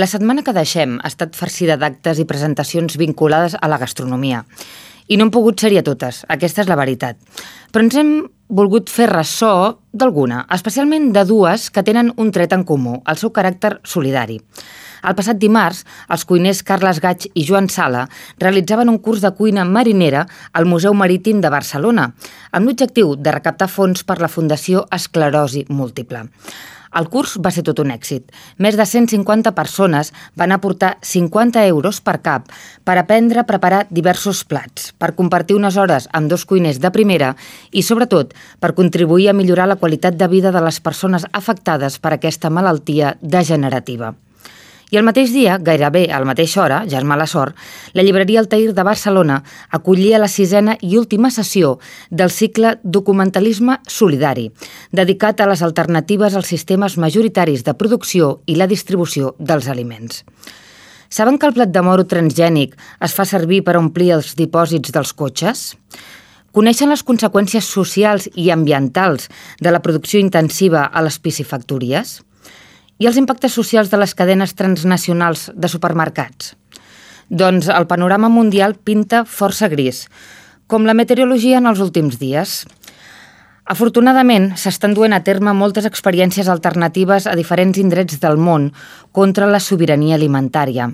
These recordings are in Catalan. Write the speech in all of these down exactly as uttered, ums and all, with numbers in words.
La setmana que deixem ha estat farcida d'actes i presentacions vinculades a la gastronomia. I no hem pogut ser-hi a totes, aquesta és la veritat. Però ens hem volgut fer ressò d'alguna, especialment de dues que tenen un tret en comú, el seu caràcter solidari. El passat dimarts, els cuiners Carles Gaig i Joan Sala realitzaven un curs de cuina marinera al Museu Marítim de Barcelona, amb l'objectiu de recaptar fons per la Fundació Esclerosi Múltiple. El curs va ser tot un èxit. Més de cent cinquanta persones van aportar cinquanta euros per cap per aprendre a preparar diversos plats, per compartir unes hores amb dos cuiners de primera i, sobretot, per contribuir a millorar la qualitat de vida de les persones afectades per aquesta malaltia degenerativa. I el mateix dia, gairebé a la mateixa hora, ja és mala sort, la llibreria Altair de Barcelona acollia la sisena i última sessió del cicle Documentalisme Solidari, dedicat a les alternatives als sistemes majoritaris de producció i la distribució dels aliments. Saben que el plat de moro transgènic es fa servir per omplir els dipòsits dels cotxes? Coneixen les conseqüències socials i ambientals de la producció intensiva a les piscifactories? I els impactes socials de les cadenes transnacionals de supermercats? Doncs el panorama mundial pinta força gris, com la meteorologia en els últims dies. Afortunadament, s'estan duent a terme moltes experiències alternatives a diferents indrets del món contra la sobirania alimentària.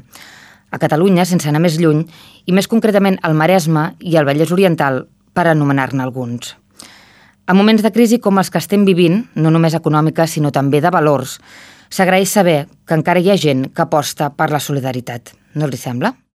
A Catalunya, sense anar més lluny, i més concretament al Maresme i al Vallès Oriental, per anomenar-ne alguns. En moments de crisi com els que estem vivint, no només econòmica, sinó també de valors, s'agraeix saber que encara hi ha gent que aposta per la solidaritat. No els hi sembla?